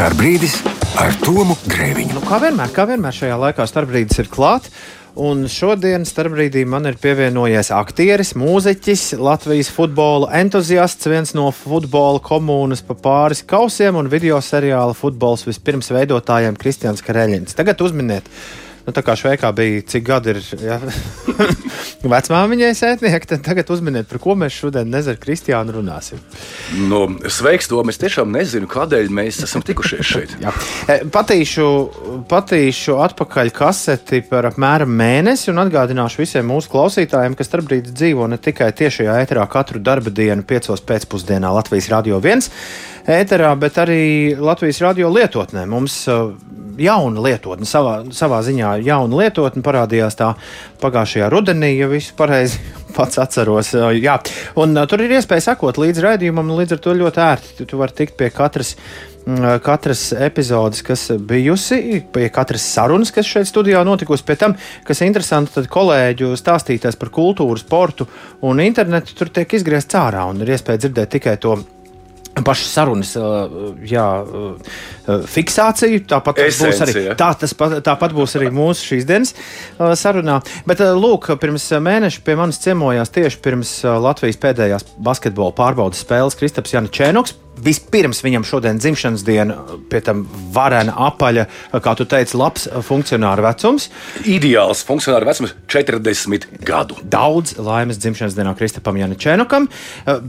Starbrīdis ar Tomu Grēviņu. Kā vienmēr šajā laikā starpbrīdis ir klāt. Un šodien starpbrīdī man ir pievienojies aktieris, mūziķis, Latvijas futbola entuziasts, viens no futbola komūnas pa pāris kausiem un video seriāla Futbols vispirms veidotājiem Kristians Kareļins. Tagad uzminiet, tā kā Šveikā bija, cik gadi ir vecmāmiņai sētnieki, tad tagad uzminiet, par ko mēs šodien ar Kristiānu runāsim. Sveiks, Tom, es tiešām nezinu, kādēļ mēs esam tikušies šeit. Patīšu atpakaļ kaseti par apmēram mēnesi un atgādināšu visiem mūsu klausītājiem, ka starpbrīdis dzīvo ne tikai tiešajā ēterā katru darba dienu 5 pēcpusdienā Latvijas Radio 1 ēterā, bet arī Latvijas Radio lietotnē. Mums jauna lietotne, savā ziņā jauna lietotne parādījās tā pagājušajā rudenī, ja visu pareizi pats atceros. Jā. Un tur ir iespēja sekot līdz raidījumam, un līdz ar to ļoti ērti. Tu vari tikt pie katras epizodes, kas bijusi, pie katras sarunas, kas šeit studijā notikusi. Pie tam, kas ir interesanti, tad kolēģu stāstītājs par kultūru, sportu un internetu tur tiek izgriezts ārā, un ir iespēja dzirdēt tikai to pašas sarunas fiksāciju. Tāpat būs arī mūsu šīs dienas sarunā. Bet, lūk, pirms mēneša pie manis ciemojās tieši pirms Latvijas pēdējās basketbola pārbaudas spēles Kristaps Janačēnoks. Vispirms viņam šodien dzimšanas diena, pie tam varena, apaļa, kā tu teici, labs funkcionāra vecums. Ideāls funkcionāra vecums 40 gadu. Daudz laimes dzimšanas dienā Kristapam Janačēnokam,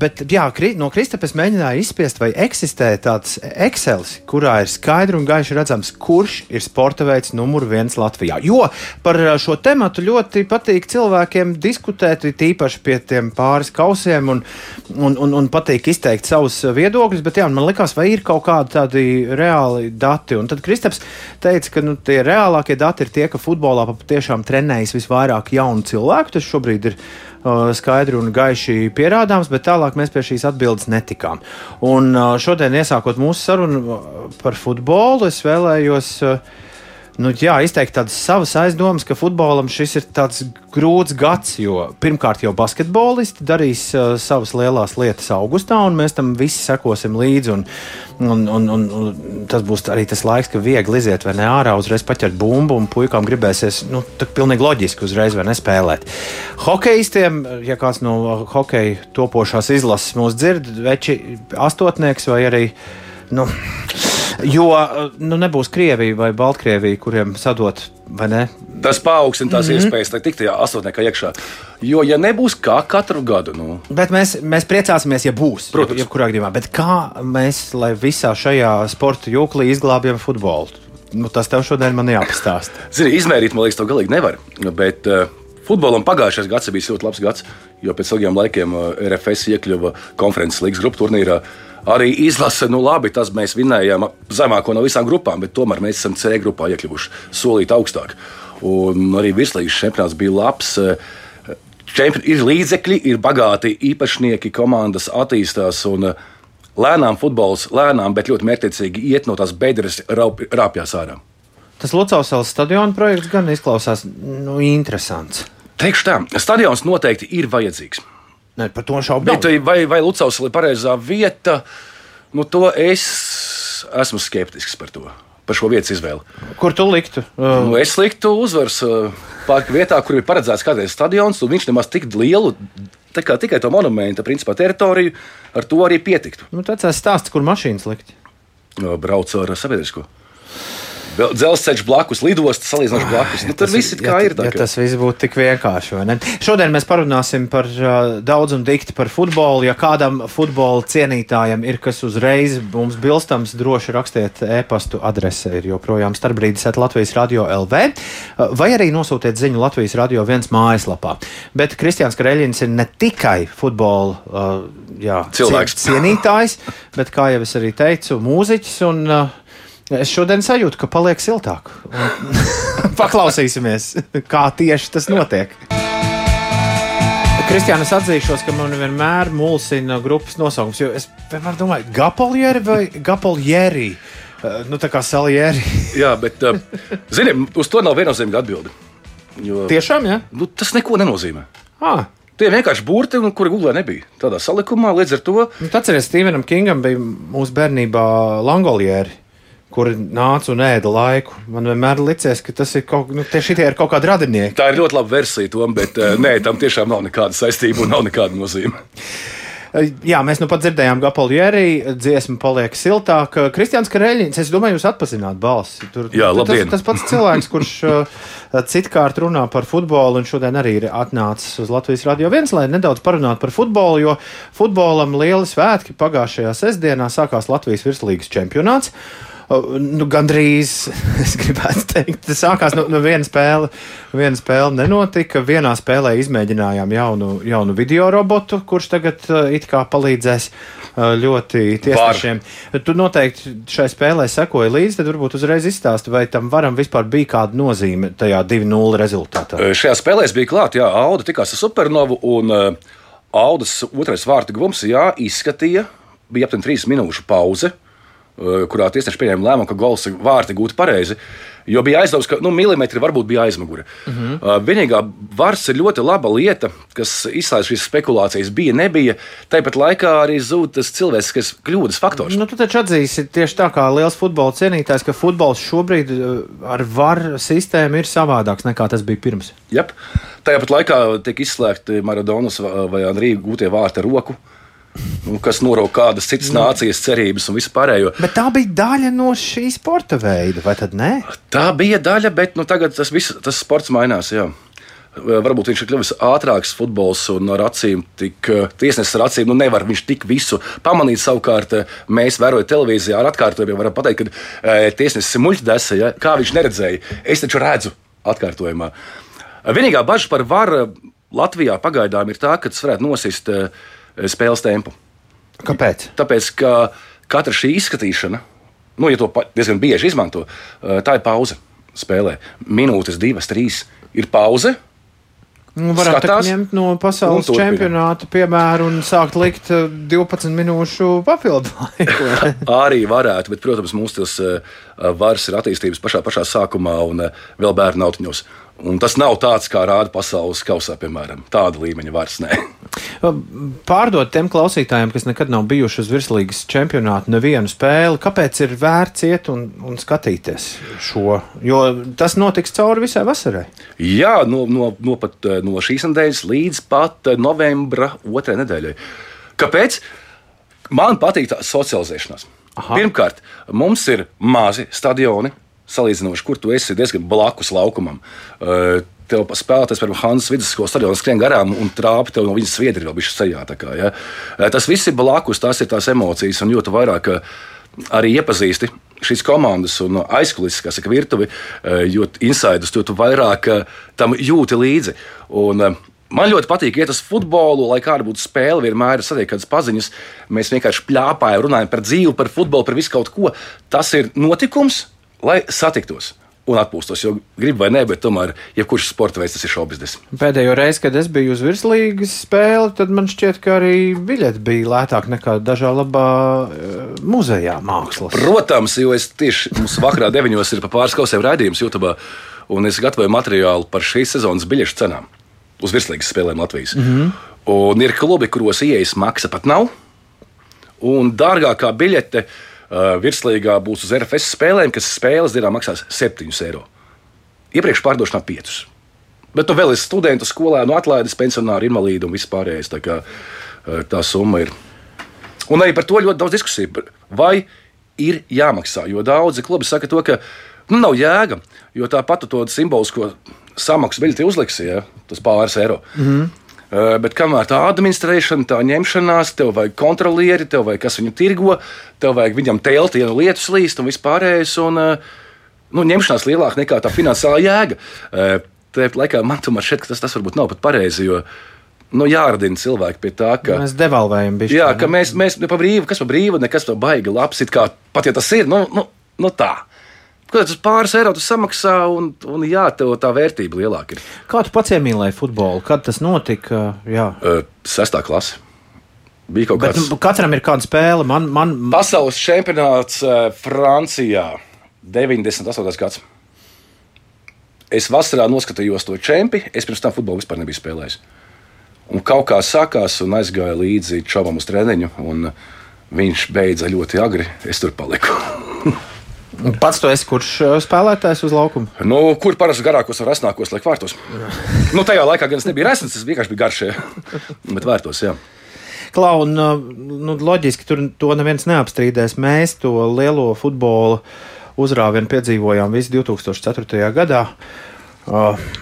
bet jā, no Kristapa es mēģināju izspiest, vai eksistē tāds Excelis, kurā ir skaidri un gaiši redzams, kurš ir sporta veids numur 1 Latvijā. Jo par šo tematu ļoti patīk cilvēkiem diskutēt, tīpaši pie tiem pāris kausiem un patīk izteikt savus viedokļus. Bet jā, man likās, vai ir kaut kādi tādi reāli dati. Un tad Kristaps teica, ka tie reālākie dati ir tie, ka futbolā patiešām trenējas visvairāk jaunu cilvēku. Tas šobrīd ir skaidri un gaiši pierādāms, bet tālāk mēs pie šīs atbildes netikām. Un šodien, iesākot mūsu sarunu par futbolu, es vēlējos izteikt tādas savas aizdomas, ka futbolam šis ir tāds grūts gads, jo pirmkārt jau basketbolisti darīs savas lielās lietas augustā, un mēs tam visi sekosim līdzi, un tas būs arī tas laiks, ka viegli iziet vai ne ārā, uzreiz paķert bumbu, un puikām gribēsies, pilnīgi loģiski uzreiz vai nespēlēt. Hokejistiem, ja kāds no hokeja topošās izlases mūs dzird, veči astotnieks vai arī, jo nebūs Krievija vai Baltkrievija, kuriem sadot, vai ne? Tas paaugstina tās iespējas tikt tajā astotniekā iekšā. Jo, ja nebūs kā katru gadu, Bet mēs priecāsimies, ja būs. Protams. Jebkurā gadījumā. Bet kā mēs, lai visā šajā sporta jūklī izglābjam futbolu? Tas tev šodien man jāpastāsta. Zini, izmērīt, man liekas, to galīgi nevar. Bet futbolam pagājušais gads bija ļoti labs gads, jo pēc ilgiem laikiem RFS iekļuva konferences līgas grupu turnīrā. Arī izlase, labi, tas mēs vinējām zemāko no visām grupām, bet tomēr mēs esam C grupā iekļuvuši solīt augstāk. Un arī virslīgas čempionāts bija labs. Ir līdzekļi, ir bagāti īpašnieki, komandas attīstās un lēnām futbols, bet ļoti mērķtiecīgi iet no tās bedres rāpjās ārā. Tas Lucavsalas stadiona projekts gan izklausās interesants. Teikšu tā, stadions noteikti ir vajadzīgs. Ne, par to šaubu nav. Vai Lucavsala ir pareizā vieta? To es esmu skeptisks par to. Par šo vietas izvēli. Kur tu liktu? Es liktu Uzvaras parka vietā, kur ir paredzēts kādreiz stadions, un viņš nemaz tik lielu, tikai to monumenta principā teritoriju, ar to arī pietiktu. Tāds stāsts, kur mašīnas likt? Brauc ar sabiedrisko. Dzelzceļš blakus, lidostas salīdzinoši blakus. Tur viss ir kā ir. Ja tas viss būtu tik vienkārši, vai ne? Šodien mēs parunāsim par daudz un dikti par futbolu. Ja kādam futbola cienītājam ir kas uzreiz mums bilstams, droši rakstiet e-pastu, adrese ir joprojām starpbrīdis@Latvijas Radio LV, vai arī nosūtiet ziņu Latvijas Radio 1 mājaslapā. Bet Kristians Kareļins ir ne tikai futbola cilvēks, cienītājs, bet, kā jau es arī teicu, mūziķis un es šodien sajūtu, ka paliek siltāk. Paklausīsimies, kā tieši tas notiek. Kristiāna, es atzīšos, ka man vienmēr mulsina grupas nosaukums, jo es vienmēr domāju, Gapoljeri vai Gapoljeri? Tā kā Salieri. Jā, bet, zini, uz to nav viennozīmīga atbilde. Jo, tiešām, jā? Tas neko nenozīmē. Tie vienkārši burti, kuri Googlē nebija. Tādā salikumā līdz ar to. Atceries, Stephenam Kingam bija mūsu bērnībā Langolieri. kuri nāca un ēda laiku. Man vienmēr licies, ka tas ir šitie ir kaut kādi radinieki. Tā ir ļoti laba versija, Tom, bet nē, tam tiešām nav nekāda saistība un nav nekāda nozīme. Jā, mēs nu pat dzirdējām Gapoljēri, dziesma paliek siltāk. Kristiāns Kareļins, es domāju, jūs atpazināt balsi. Jā, labdien. Tas pats cilvēks, kurš citkārt runā par futbolu un šodien arī ir atnācis uz Latvijas Radio 1, lai nedaudz parunātu par futbolu, jo futbolam lieli svētki pagājušajā sestdienā sākās Latvijas virslīgas čempionāts. Gandrīz, es gribētu teikt, sākās viena spēle nenotika. Vienā spēlē izmēģinājām jaunu video robotu, kurš tagad it kā palīdzēs ļoti tiesnešiem. Tu noteikti šai spēlē sekoji līdzi, tad varbūt uzreiz izstāsti, vai tam varam vispār bija kāda nozīme tajā 2-0 rezultātā. Šajā spēlē es biju klāt, jā, Auda tikās ar Supernovu un Audas otrais vārtu guvums, jā, izskatīja, bija aptuveni 3 minūšu pauze, kurā tiesneši pieņēma lēmumu, ka gols vārti gūti pareizi, jo bija aizdoms, ka milimetri varbūt bija aizmugure. Vienīgā vars ir ļoti laba lieta, kas izslēdz šīs spekulācijas nebija. Tāpat laikā arī zūd tas cilvēciskas kļūdas faktors. Tu taču atzīsi tieši tā kā liels futbola cienītājs, ka futbols šobrīd ar VAR sistēmu ir savādāks nekā tas bija pirms. Jep. Tāpat laikā tiek izslēgti Maradonas vai Andrija gūtie vārti ar roku, kas norauga kādas citas nācijas cerības un visu pārējo. Bet tā bija daļa no šī sporta veida, vai tad ne? Tā bija daļa, bet tagad tas sports mainās, jā. Varbūt viņš ir kļuvis ātrāks futbols un ar acīm, tiesnesis ar acīm, nevar viņš tik visu pamanīt. Savukārt mēs vērojam televīzijā ar atkārtojumiem, varam pateikt, ka tiesnesis ir muļķdese, ja? Kā viņš neredzēja. Es taču redzu atkārtojumā. Vienīgā bažas par VAR Latvijā pagaidām ir tā, ka tas varētu nosist spēles tempu. Kāpēc? Tāpēc, ka katra šī izskatīšana, ja to diezgan bieži izmanto, tā ir pauze spēlē. Minūtes, 2, 3 ir pauze. Varētu ņemt no pasaules čempionāta piemēru un sākt likt 12 minūšu papildu laiku. Arī varētu, bet, protams, mums tas vars ir attīstības pašā sākumā un vēl bērnu autiņos. Un tas nav tāds, kā rāda pasaules kausā, piemēram. Tāda līmeņa vairs nē. Pārdot tiem klausītājiem, kas nekad nav bijuši uz virslīgas čempionātu nevienu spēli, kāpēc ir vērts iet un skatīties šo? Jo tas notiks cauri visai vasarai. Jā, pat no šīs nedēļas līdz pat novembra 2. nedēļai. Kāpēc? Man patīk tā socializēšanās. Aha. Pirmkārt, mums ir mazi stadioni, salīdzinoši, kur tu esi diezgan blakus laukumam. Tev spēlētājs, piemēram, Hanzas vidusskolas stadionā skrien garām un trāpi tev no viņas sviedri vēl bišķi sejā. Ja? Tas viss ir blakus, tās ir tās emocijas, un jo tu vairāk arī iepazīsti šīs komandas un aizkulises, kā saka, virtuvi, jo insidus, tu vairāk tam jūti līdzi. Un man ļoti patīk iet uz futbolu, lai kāda būtu spēle, vienmēr ir satiek kādas paziņas. Mēs vienkārši pļāpājam, runājam par dzīvi, par futbolu, par visu kaut ko. Tas ir notikums, lai satiktos un atpūstos, jo gribu vai nē, bet tomēr jebkurš sporta veids tas ir šovbiznes. Pēdējo reizi, kad es biju uz virslīgas spēli, tad man šķiet, ka arī biļeti bija lētāk nekā dažā labā muzejā mākslas. Protams, jo es tieši mums vakarā 9 ir pa pāris kausiem raidījums YouTube, un es gatavoju materiālu par šīs sezonas biļešu cenām uz virslīgas spēlēm Latvijas. Un ir klubi, kuros ieejas maksa pat nav, un dārgākā biļete virslīgā būs uz RFS spēlēm, kas spēles dienā maksās 7 eiro. Iepriekš pārdošanā 5. Bet tu vēl esi studentu, skolēnu, atlaides, pensionāri, invalīdi un viss pārējais. Tā kā tā summa ir. Un arī par to ļoti daudz diskusiju. Vai ir jāmaksā? Jo daudzi klubi saka to, ka nav jēga, jo tāpat to simbolisko samaksu biļeti uzliksi, ja, tas pāris eiro. Bet kamēr tā administrēšana, tā ņemšanās, tev vajag kontrolieri, tev vajag kas viņu tirgo, tev vajag viņam telti, ja no lietus līst un vispārējais, un ņemšanās lielāka nekā tā finansiālā jēga. Tāpat laikā man tomēr šķiet, ka tas varbūt nav pat pareizi, jo jāradina cilvēki pie tā, ka mēs devalvējam bišķi. Jā, ka mēs pa brīvu, kas pa brīvu, nekas pa baigi labs, it kā pat ja tas ir, tā. Kad tas pāris eiro tu samaksā, un jā, tev tā vērtība lielāka ir. Kā tu pats iemīlēji futbolu? Kad tas notika? 6. klase. Bija kaut kāds. Bet katram ir kāda spēle. Pasaules čempionāts Francijā 98. gads. Es vasarā noskatījos to čempi, es pirms tam futbolu vispār nebiju spēlējis. Un kaut kā sākās un aizgāja līdzi čovam uz treniņu, un viņš beidza ļoti agri, es tur paliku. Pats tu esi kurš spēlētājs uz laukuma? Nu, kur parasti garākos un resnākos liek vārtos? Nu, tajā laikā gan es nebiju resns, es vienkārši biju garš, bet vārtos, jā. Klau, un loģiski tur to neviens neapstrīdēs. Mēs to lielo futbola uzrāvienu piedzīvojām visi 2004. gadā.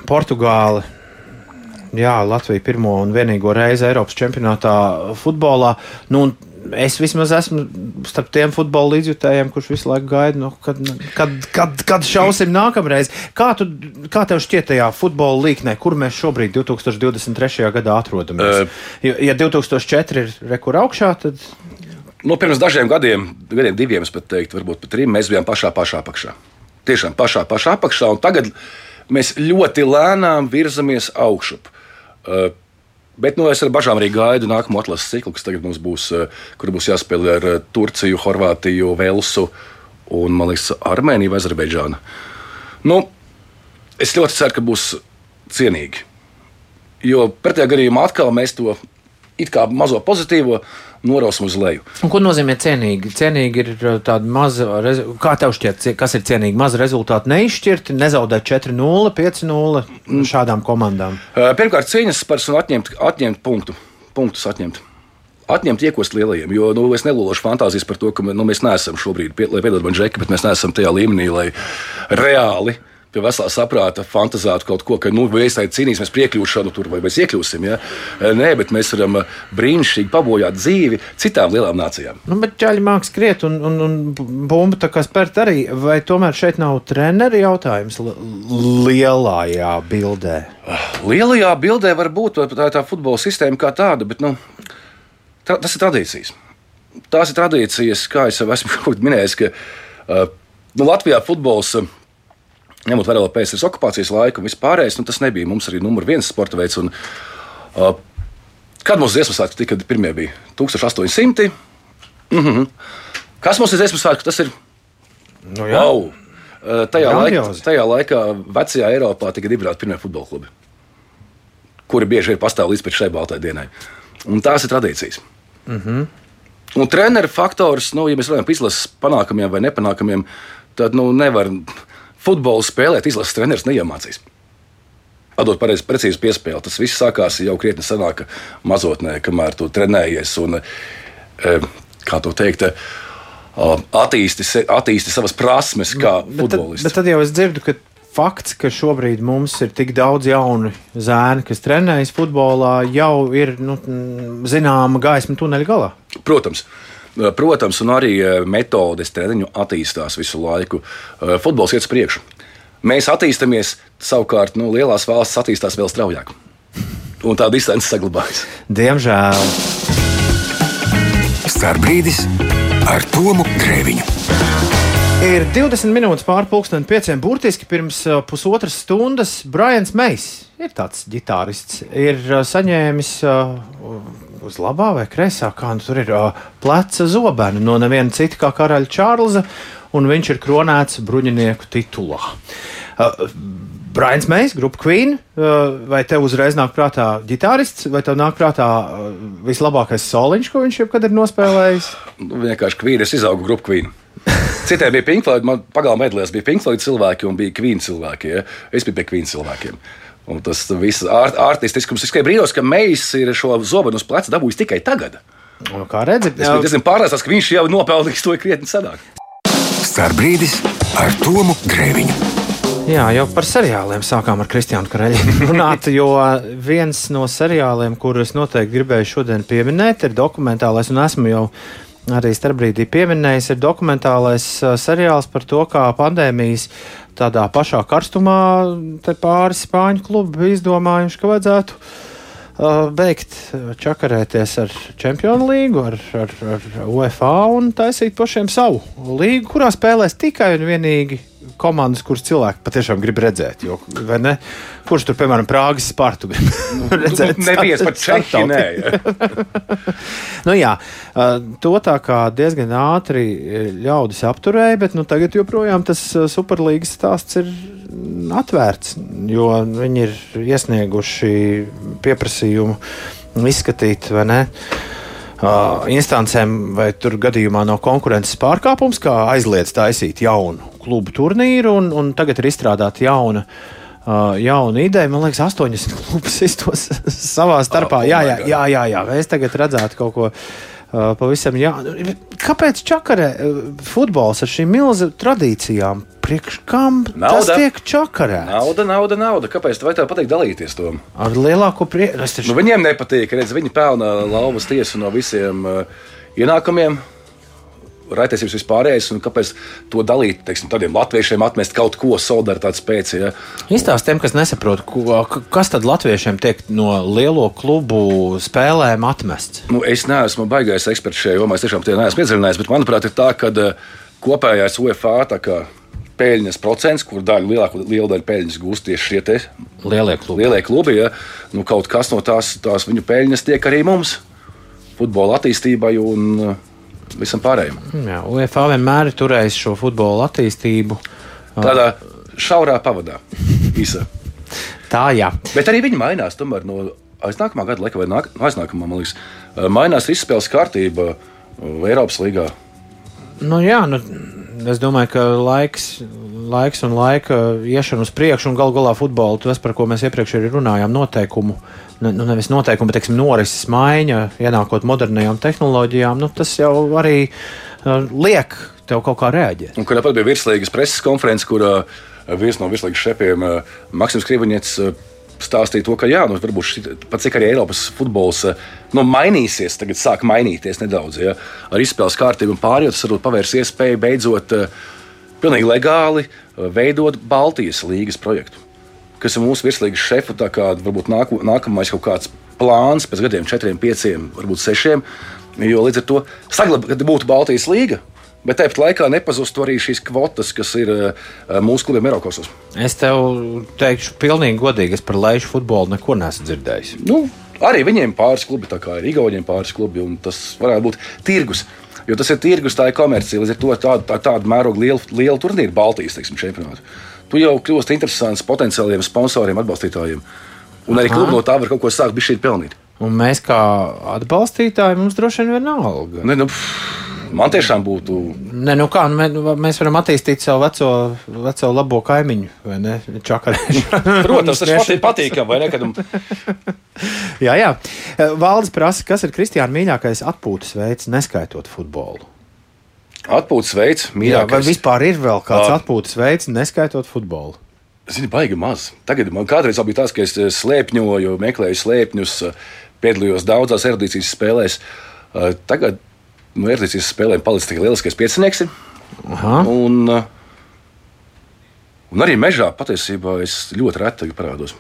Portugāli, jā, Latvija pirmo un vienīgo reizi Eiropas čempionātā futbolā. Nu, es vismaz esmu starp tiem futbola līdzjutējiem, kurš visu laiku gaida, kad šausim nākamreiz. Kā tev šķiet tajā futbola līknē, kur mēs šobrīd 2023. gadā atrodamies? Ja 2004 ir rekur augšā, tad... Nu, pirms dažiem gadiem, diviem, es pat teiktu, varbūt pat 3, mēs bijām pašā apakšā. Tiešām pašā apakšā, un tagad mēs ļoti lēnām virzamies augšup. Bet es ar bažām arī gaidu nākamo atlases ciklu, kas tagad mums būs, kur būs jāspēlē ar Turciju, Horvātiju, Velsu un, man liekas, Armēniju vai Azerbaidžānu. Nu, es ļoti ceru, ka būs cienīgi. Jo pretējā gadījumā atkal mēs to it kā mazo pozitīvo norausim uz leju. Un ko nozīmē cienīgi? Cienīgi ir tāda maza, kā tev šķiet, kas ir cienīgi? Maza rezultāta neizšķirti, nezaudēt 4-0, 5-0 šādām komandām? Pirmkārt, cīņas par un atņemt punktus atņemt. Atņemt iekost lielajiem, jo es nelološu fantāzijas par to, ka mēs neesam šobrīd, lai piedod man Džeki, bet mēs neesam tajā līmenī, lai reāli pie veselā saprāta fantazētu kaut ko, ka mēs cīnīsimies priekļūšanu tur vai mēs iekļūsim. Ja? Nē, bet mēs varam brīnišķīgi pabojāt dzīvi citām lielām nācijām. Bet ķaļi māk skriet un bumba tā kā spērt arī. Vai tomēr šeit nav treneri jautājums lielajā bildē? Lielajā bildē var būt tā futbola sistēma kā tāda, bet tas ir tradīcijas. Tās ir tradīcijas, kā es jau esmu minējis, ka Latvijā futbols, ņemot vērā PSRS okupācijas laiku un vispārējais, tas nebija mums arī numur 1 sporta veids. Kad mums dziesmu svētki tika pirmie bija? 1800. Kas mums ir dziesmu svētki? Tas ir... Nu jā. Wow! Tajā laikā vecajā Eiropā tika dibināti pirmie futbola klubi, kuri bieži ir pastāv līdz šai baltai dienai. Un tās ir tradīcijas. Un treneru faktors, ja mēs runājam par izlases panākumiem vai nepanākumiem, tad nevar... Futbolu spēlēt, izlases treneris neiemācīs. Atdot precīzi piespēli. Tas viss sākās jau krietni senāk mazotnē, kamēr tu trenējies un, kā to teikt, attīsti savas prasmes kā futbolists. Bet tad jau es dzirdu, ka fakts, ka šobrīd mums ir tik daudz jaunu zēni, kas trenējas futbolā, jau ir zināma gaisma tuneļa galā. Protams, un arī metodes treniņu attīstās visu laiku. Futbols iet uz priekšu. Mēs attīstāmies, savukārt lielās valstis attīstās vēl straujāk. Un tā distance saglabājas. Diemžēl. Starbrīdis ar Tomu Grēviņu. Ir 20 minūtes pār 5:30. Burtiski pirms pusotras stundas Brians Mejs, ir tāds ģitārists, ir saņēmis uz labā vai kreisā, kā tur ir pleca zobenu no neviena cita kā karaļa Čārlza, un viņš ir kronēts bruņinieku titulā. Brians Mejs, grupa Queen, vai tev uzreiz nāk prātā ģitārists, vai tev nāk prātā vislabākais soliņš, ko viņš jebkad ir nospēlējis? Vienkārši Queen, es izaugu grupu Queen. Citiem bija Pink Floyd, man pagalma medlēs bija Pink Floyd cilvēki un bija Queen cilvēki. Ja? Es biju pie Queen cilvēkiem. Un tas viss artistiskums tikai brīnos, ka Mejs ir šo zobenu uz pleca dabūjis tikai tagad. Kā redzi? Es biju diezgan pārliecināts, ka viņš jau nopelnījis to krietni senāk. Starbrīdis ar Tomu Grēviņu. Jā, jau par seriāliem sākām ar Kristiānu Kareļi runāt, jo viens no seriāliem, kurus noteikti gribēju šodien pieminēt, ir dokumentālais, un esmu jau arī starpbrīdī pieminējis, ir dokumentālais seriāls par to, kā pandēmijas tādā pašā karstumā te pāris spāņu klubi izdomājuši, ka vajadzētu beigt čakarēties ar Čempionu līgu, ar UEFA un taisīt pašiem savu līgu, kurā spēlēs tikai un vienīgi komandas, kuras cilvēki patiešām grib redzēt. Jo, vai ne? Kurš tur, piemēram, Prāgas Spartu grib redzēt? Neviens pat Čehi, nē. Jā, to tā kā diezgan ātri ļaudis apturēja, bet tagad joprojām tas Superlīgas stāsts ir atvērts, jo viņi ir iesnieguši pieprasījumu izskatīt, vai ne, instancēm, vai tur gadījumā nav konkurences pārkāpums, kā aizliedz taisīt jaunu klubu turnīru, un tagad ir izstrādāta jauna ideja. Man liekas, 80 klubus iztos savā starpā. Jā. Es tagad redzētu kaut ko pavisam. Kāpēc čakarē futbols ar šīm milzu tradīcijām? Priekš kam tas tiek čakarēts? Nauda. Kāpēc tu vai tev patīk dalīties to? Ar lielāko prieku. Viņiem nepatīk, redz, viņi pelna lauvas tiesu no visiem ienākumiem. Raitiesības vispārējais, un kāpēc to dalīt, teiksim, tādiem latviešiem atmest kaut ko solidaritātes pēc, ja? Izstāst tiem, kas nesaprot, kas tad latviešiem tiek no lielo klubu spēlēm atmests? Es neesmu baigais eksperts šajā jomā, es tiešām tie neesmu iedziļinājies, bet manuprāt ir tā, ka kopējais UEFA tā kā peļņas procents, kur liela daļa peļņas gūst tieši šie te lielie klubi, ja? Kaut kas no tās viņu peļņas tiek arī mums, futbola attīstībai un visam pārējiem. Jā, UEFA vienmēr ir turējis šo futbola attīstību tādā šaurā pavadā. Īsā. Tā, jā. Bet arī viņi mainās. Tomēr no aiznākamā gada laika vai aiznākamā, man liekas, mainās izspēles kārtība Eiropas līgā. Es domāju, ka laiks un laika iešana uz priekšu un galā futbolu, tas, par ko mēs iepriekš arī runājām, noteikumu. Nevis noteikumi, bet norises maiņa, ienākot modernajām tehnoloģijām, tas jau arī liek tev kaut kā reaģēt. Un kur bija virslīgas preses konferences, kur viens no virslīgas šefiem, Maksims Krivoņets, stāstīja to, ka varbūt pat cik arī Eiropas futbols mainīsies, tagad sāk mainīties nedaudz, ja, ar izspēles kārtību un pārējot, tas varbūt pavērs iespēju beidzot pilnīgi legāli veidot Baltijas līgas projektu. Kas ir mūsu virslīgas šefu, tā kā varbūt nākamais kaut kāds plāns pēc gadiem 4, 5, varbūt 6, jo līdz ar to saglabāt būtu Baltijas līga, bet tāpat laikā nepazustu arī šīs kvotas, kas ir mūsu klubiem Eirokosos. Es tev teikšu pilnīgi godīgi, es par lejušu futbolu neko neesmu dzirdējis. Arī viņiem pāris klubi, tā kā ir Igauniem pāris klubi, un tas varētu būt tirgus. Jo tas ir tirgus, tā ir komercija, līdz ar to tādu mērogu lielu turnīru Baltijas, teiksim, čempionātu. Tu jau kļūst interesants potenciāliem sponsoriem, atbalstītājiem. Un arī klubi no tā var kaut ko sākt bišķīt pelnīt. Un mēs kā atbalstītāji mums droši vien vienalga. Man tiešām būtu... Mēs varam attīstīt savu veco labo kaimiņu, vai ne? Čakarēšanu. Protams, tas patīkam, vai ne? Jā. Valdis prasa, kas ir Kristiāna mīļākais atpūtas veids, neskaitot futbolu? Atpūtas veids, mīļākais. Vai vispār ir vēl kāds atpūtas veids, neskaitot futbolu? Zini, baigi maz. Tagad man kādreiz bija tas, ka es slēpņoju, meklēju slēpņus, piedalījos daudzās erudīcijas spēlēs. Tagad no erudīcijas spēlēm palicis tikai lieliskais piecinieks. Un arī mežā patiesībā es ļoti reti parādos.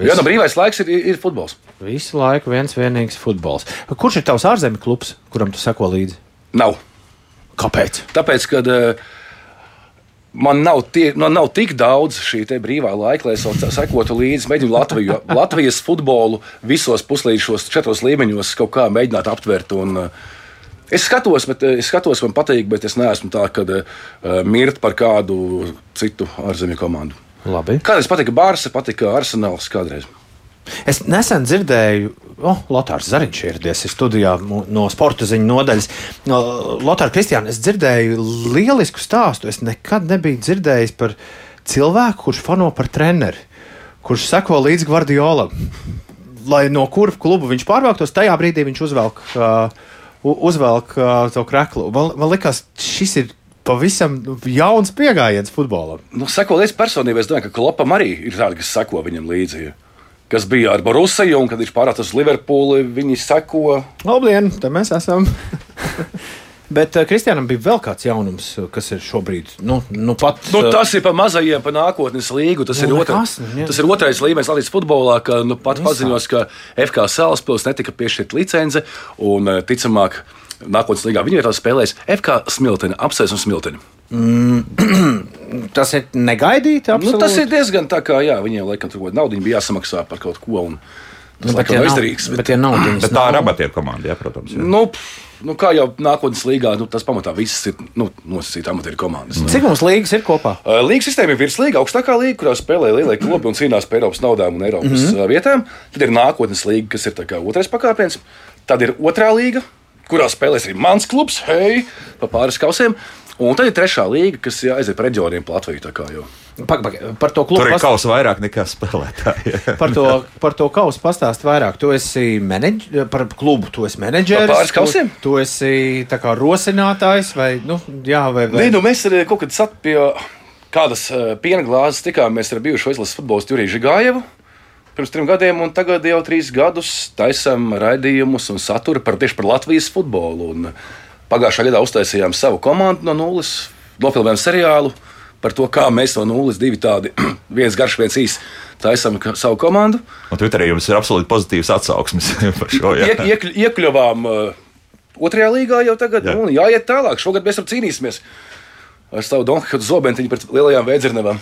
Jā, brīvais laiks ir futbols. Visu laiku vienīgs futbols. Kurš ir tavs ārzemju klubs, kuram tu seko līdzi? Nav. Kāpēc? Tāpēc, ka man nav tik daudz šī brīvā laika, lai es sekotu līdzi, mēģinu Latvijas futbolu visos puslīdšos 4 līmeņos kaut kā mēģināt aptvert. Es skatos, man patīk, bet es neesmu tā, ka mirt par kādu citu ārzemju komandu. Labi. Kādreiz patika Barsa, patika Arsenāls kādreiz. Es nesen dzirdēju, Lotārs Zariņš ieradies studijā no sporta ziņu nodaļas. Lotār, Kristiāna, es dzirdēju lielisku stāstu. Es nekad nebiju dzirdējis par cilvēku, kurš fano par treneri, kurš seko līdz Guardiolam. Lai no kura klubu viņš pārvāktos, tajā brīdī viņš uzvelk to kreklu. Man likās, šis ir pavisam jauns pieejams futbolam. Seko līdz personībai, es domāju, ka Klopam arī ir tādi, kas seko viņam līdzi. Kas bija ar Borusiju, un kad viņš pārvācās uz Liverpooli, viņi seko. Labdien, te mēs esam. Bet Kristiānam bija vēl kāds jaunums, kas ir šobrīd. Tas ir pa mazajiem, pa nākotnes līgu. Tas ir otrais līmenis Latvijas futbolā, ka pat paziņos, ka FK Salaspils netika piešķirta licence, un ticamāk nākotnes līgā viņa vietā spēlēs FK Smiltene, Apsēs un Smiltene. Tas ir negaidīti. Tas ir diezgan tā kā, viņiem laikam tur naudiņu bija jāsamaksā par kaut ko, un tas laikam nav izdarīgs. Bet tā ir amatieru komanda, protams. Kā jau nākotnes līgā, tas pamatā viss ir nosacīta amatieru komandas. Cik mums līgas ir kopā? Līgas sistēma ir virslīga, augstākā līga, kurā spēlē lielie klubi un cīnās par Eiropas naudām un Eiropas vietām. Tad ir nākotnes līga, kas ir tā kā otrais pakāpiens. Tad ir otrā līga, kurā spēlēs arī mans klubs, pa pāris kausiem. Un tad ir trešā līga, kas aiziet par reģioniem pa Latviju. Tā kā jau. Par to klubu Tur ir kausa vairāk nekā spēlētāji. par to kausu pastāst vairāk. Tu esi par klubu, tu esi menedžeris. Par pāris kausiem? Tu esi tā kā rosinātājs vai, vai... Nē, mēs arī kaut kad sat pie kādas piena glāzes tikāmies ar bijušo izlases futbolistu Juriju Žigājevu pirms 3 gadiem, un tagad jau 3 gadus taisam raidījumus un saturu tieši par Latvijas futbolu. Un pagājušā gadā uztaisījām savu komandu no nulles, nofilmējām seriālu par to, kā mēs no nulles 2 tādi, viens garš, viens īs, taisam savu komandu. Un Twitterī jums ir absolūti pozitīvs atsauksmes par šo. Iekļuvām 2. līgā jau tagad, un jāiet tālāk. Šogad mēs tur cīnīsimies ar savu Donhatu Zobentiņu pret lielajām Vēdzirnevām.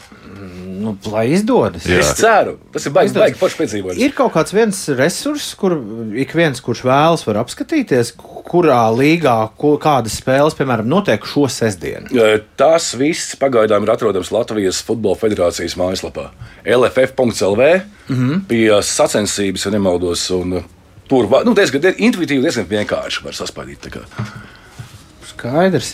Lai izdodas. Jā. Es ceru, tas ir baigi forši piedzīvojums. Ir kaut kāds viens resurss, kur ik viens, kurš vēlas, var apskatīties, kurā līgā kādas spēles, piemēram, notiek šo sestdienu. Tās viss pagaidām ir atrodams Latvijas Futbola Federācijas mājaslapā. LFF.lv pie sacensības, ja nemaldos, un tur diezgan intuitīvi, diezgan vienkārši var saspaidīt. Skaidrs.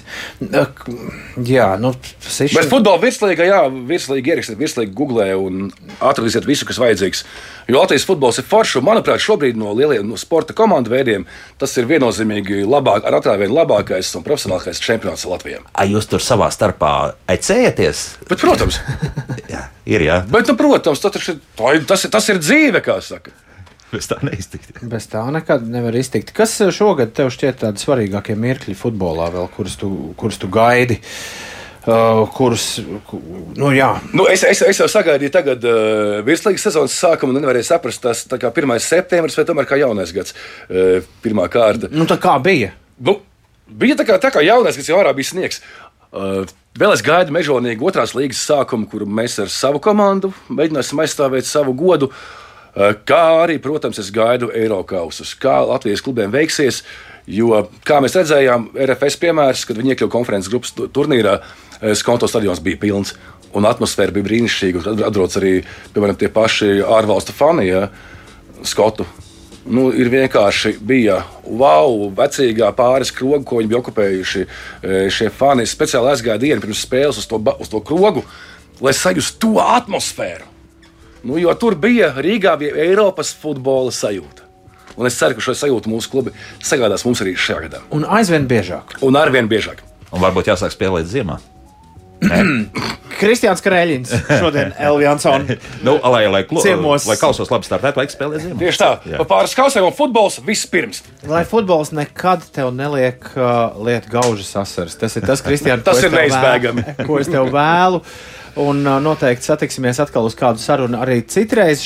Jā, Bet futbola virslīga, ierakstiet virslīgu Googlē un atradīsiet visu, kas vajadzīgs. Jo Latvijas futbols ir foršs, un, manuprāt, šobrīd no lieliem sporta komandu veidiem tas ir viennozīmīgi ar atrāvienu labākais un profesionālākais čempionāts Latvijā. Jūs tur savā starpā ecējaties? Bet, protams. Jā, ir, jā. Bet, protams, tas ir dzīve, kā saka. Bez tā neiztikt. Bez tā nekad nevar iztikt. Kas šogad tev šķiet tādi svarīgākie mirkļi futbolā, vēl, kurus tu gaidi? Es jau sagaidīju tagad virslīgas sezonas sākumu un nevarēju saprast, tas tā kā 1. septembris vai tomēr kā jaunais gads, pirmā kārta. Tā kā bija? Bija tā kā jaunais, kas jau ārā bija sniegs. Vēl es gaidu mežonīgi 2. līgas sākumu, kuru mēs ar savu komandu mēģināsim aizstāvēt savu godu. Kā arī, protams, es gaidu Eirokausus, kā Latvijas klubiem veiksies, jo, kā mēs redzējām, RFS piemērs, kad viņi iekļuva konferences grupas turnīrā, Skonto stadions bija pilns, un atmosfēra bija brīnišķīga, un atrodas arī, piemēram, tie paši ārvalstu fani, Skotu. Ir vienkārši bija vecīgā pāris krogu, ko viņi bija okupējuši šie fani. Speciāli aizgāja dienu pirms spēles uz to krogu, lai sajustu to atmosfēru. Jo tur Rīgā bija Eiropas futbola sajūta. Un es ceru, ka šo sajūtu mūsu klubi sagādās mums arī šajā gadā. Un aizvien biežāk. Un arvien biežāk. Un varbūt jāsāk spēlēt ziemā. Kristiāns Krēļins šodien Elviansona lai ciemos. Lai kausos labi startētu, vajag spēlēt ziemā. Tieši tā. Pa pāris kausiem un futbols vispirms. Lai futbols nekad tev neliek liet gaužas asaras. Tas ir tas, Kristiāns, tas ir neizbēgami. Ko es tev vēlu. Un noteikti satiksimies atkal uz kādu sarunu arī citreiz.